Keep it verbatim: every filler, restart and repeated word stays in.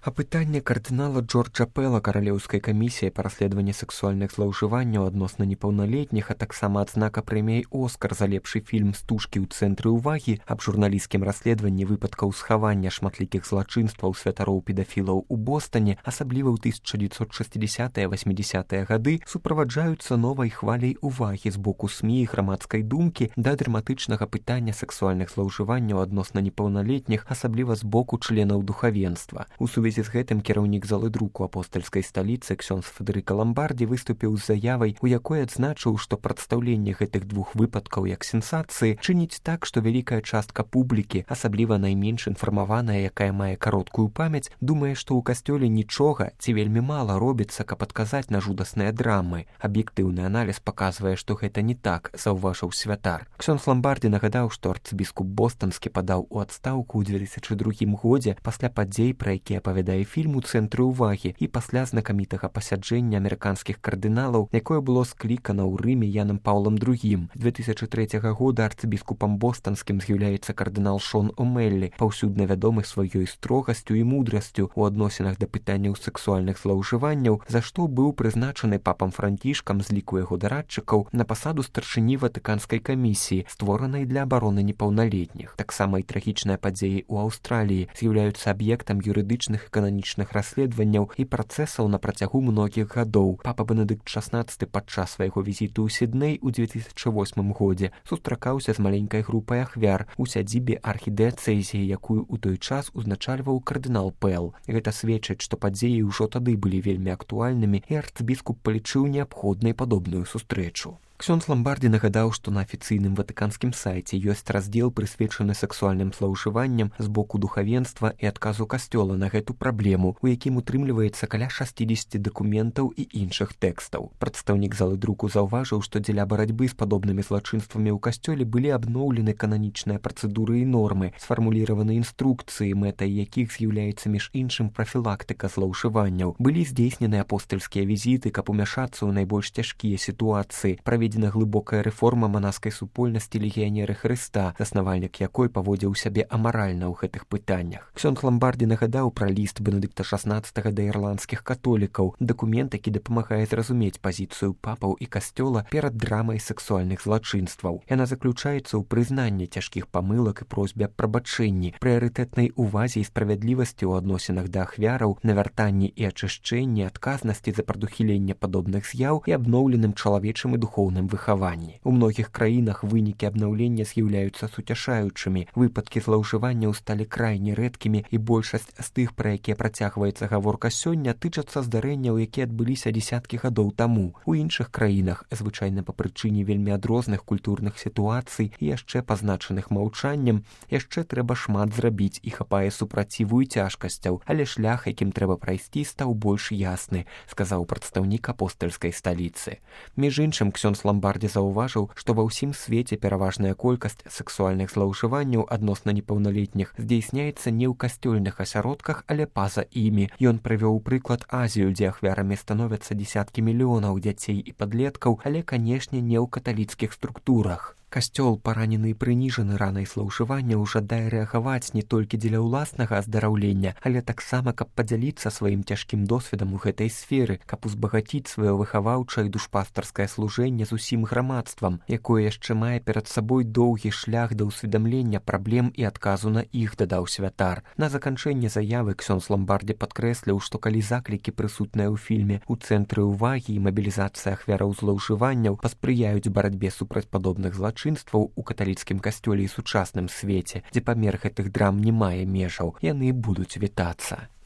Апытанне кардынала Джорджа Пэла каралеўскай камісіяй па расследаванні сексуальных злоўжыванняў адносна непаўналетніх, а таксама адзнака прэміяй «Оскар» за лепшы фільм «Стужкі ў цэнтры ўвагі» аб журналісцкім расследаванні выпадкаў схавання шматлікіх злачынстваў святароў-педафілаў у Бостане, асабліва ў тысяча дзевяцьсот шэсцідзясятыя - васьмідзясятыя гады, суправаджаюцца новай хваляй увагі з боку СМІ і грамадскай думкі да драматычнага пытання сексуальных злоўжыванняў адносна непаўналетніх, асабліва з боку членаў духавенства. У сувязі з гэтым кіраўнік залы друку апостальскай сталіцы ксёндз Федэрыка Ламбардзі выступіў з заявай, у якой адзначыў, што прадстаўленне гэтых двух выпадкаў як сенсацыі чыніць так, што вялікая частка публікі, асабліва найменш інфармаваная, якая мае кароткую памяць, думае, што ў касцёле нічога ці вельмі мала робіцца, каб адказаць на жудасныя драмы. Аб'ектыўны аналіз паказвае, што гэта не так, заўважыў святар. Ксёндз Ламбардзі нагадаў, што арцыбіскуп бостанскі падаў у адстаўку ў дзве тысячы другім годзе пасля падзей, пра якія апавядае фільм «У цэнтры ўвагі» і пасля знакамітага пасяджэння амерыканскіх кардыналаў, якое было склікана ў Рыме Янам Паўлам другім. З дзве тысячы трэцяга года арцыбіскупам бостанскім з'яўляецца кардынал Шон О'Мэллі, паўсюдна вядомы сваёй строгасцю і мудрасцю ў адносінах да пытанняў сексуальных злоўжыванняў, за што быў прызначаны папам Францішкам з ліку яго дарадчыкаў на пасаду старшыні Ватыканскай камісіі, створанай для абароны непаўналетніх. Таксама і трагічныя падзеі ў Аўстраліі з'яўляюцца аб'ектам юрыдычных кананічных расследаванняў і працэсаў на працягу многіх гадоў. Папа Бенедыкт шаснаццаты падчас свайго візіту ў Сідней у дзве тысячы восьмым годзе сустракаўся з маленькай групай ахвяр у сядзібе архідыяцэзіі, якую ў той час узначальваў кардынал Пэл. Гэта сведчыць, што падзеі ўжо тады былі вельмі актуальнымі, і арцыбіскуп палічыў неабходнай падобную сустрэчу. Ксёндз Ламбардзі нагадаў, што на афіцыйным ватыканскім сайце ёсць раздзел, прысвечаны сексуальным злоўжыванням з боку духавенства і адказу касцёла на гэту праблему, у якім утрымліваецца каля шасцідзесяці дакументаў і іншых тэкстаў. Прадстаўнік залы друку заўважыў, што дзеля барацьбы з падобнымі злачынствамі ў касцёле былі абноўлены кананічныя працэдуры і нормы, сфармуліраваны інструкцыі, мэтай якіх з'яўляецца між іншым прафілактыка злоўжыванняў. Былі здзейснены апостальскія візіты, каб умяшацца ў найбольш цяжкія сітуацыі. Праведзена глыбокая рэформа манаскай супольнасці легіянеры Хрыста, заснавальнік якой паводзіў сябе амаральна ў гэтых пытаннях. Ксёндз Ламбардзі нагадаў пра ліст Бенедыкта шаснаццатага да ірландскіх католікаў, дакумент, які дапамагае зразумець пазіцыю папаў і касцёла перад драмай сексуальных злачынстваў. Яна заключаецца ў прызнанні цяжкіх памылак і просьбе аб прабачэнні, прыярытэтнай увазе і справядлівасці ў адносінах да ахвяраў, навяртанні і ачышчэнні, адказнасці за прадухіленне падобных з'яў і абноўленым чалавечым і духоўным выхаванні. У многіх краінах вынікі абнаўлення з'яўляюцца суцяшаючымі, выпадкі злоўжыванняў сталі крайне рэдкімі, і большасць з тых, пра якія працягваецца гаворка сёння, тычацца здарэнняў, якія адбыліся дзесяткі гадоў таму. У іншых краінах, звычайна па прычыне вельмі адрозных культурных сітуацый і яшчэ пазначаных маўчаннем, яшчэ трэба шмат зрабіць і хапае супраціву і цяжкасцяў, але шлях, якім трэба прайсці, стаў больш ясны, сказаў прадстаўнік апостальскай сталіцы. Між іншым, ксёндз Ламбардзі заўважыў, што ва ўсім свеце пераважная колькасць сексуальных злоўжыванняў адносна непаўналетніх здзейсняецца не ў касцёльных асяродках, але па-за імі. Ён прывёў прыклад Азію, дзе ахвярамі становяцца дзесяткі мільёнаў дзяцей і падлеткаў, але, канешне, не ў каталіцкіх структурах. Касцёл, паранены і прыніжаны ранай злоўжыванняў, жадае рэагаваць не толькі дзеля ўласнага аздараўлення, але таксама, каб падзяліцца сваім цяжкім досведам у гэтай сферы, каб узбагаціць сваё выхаваўчае і душпастарскае служэнне з усім грамадствам, якое яшчэ мае перад сабой доўгі шлях да ўсведамлення праблем і адказу на іх, дадаў святар. На заканчэнне заявы ксёндз Ламбардзі падкрэсліў, што калі заклікі, прысутныя ў фільме «У цэнтры ўвагі» і мабілізацыя ахвяраў злоўжыванняў паспрыяюць барацьбе супраць падобных злачынстваў у каталіцкім касцёле і сучасным свеце, дзе памер гэтых драм не мае межаў, яны будуць вітацца.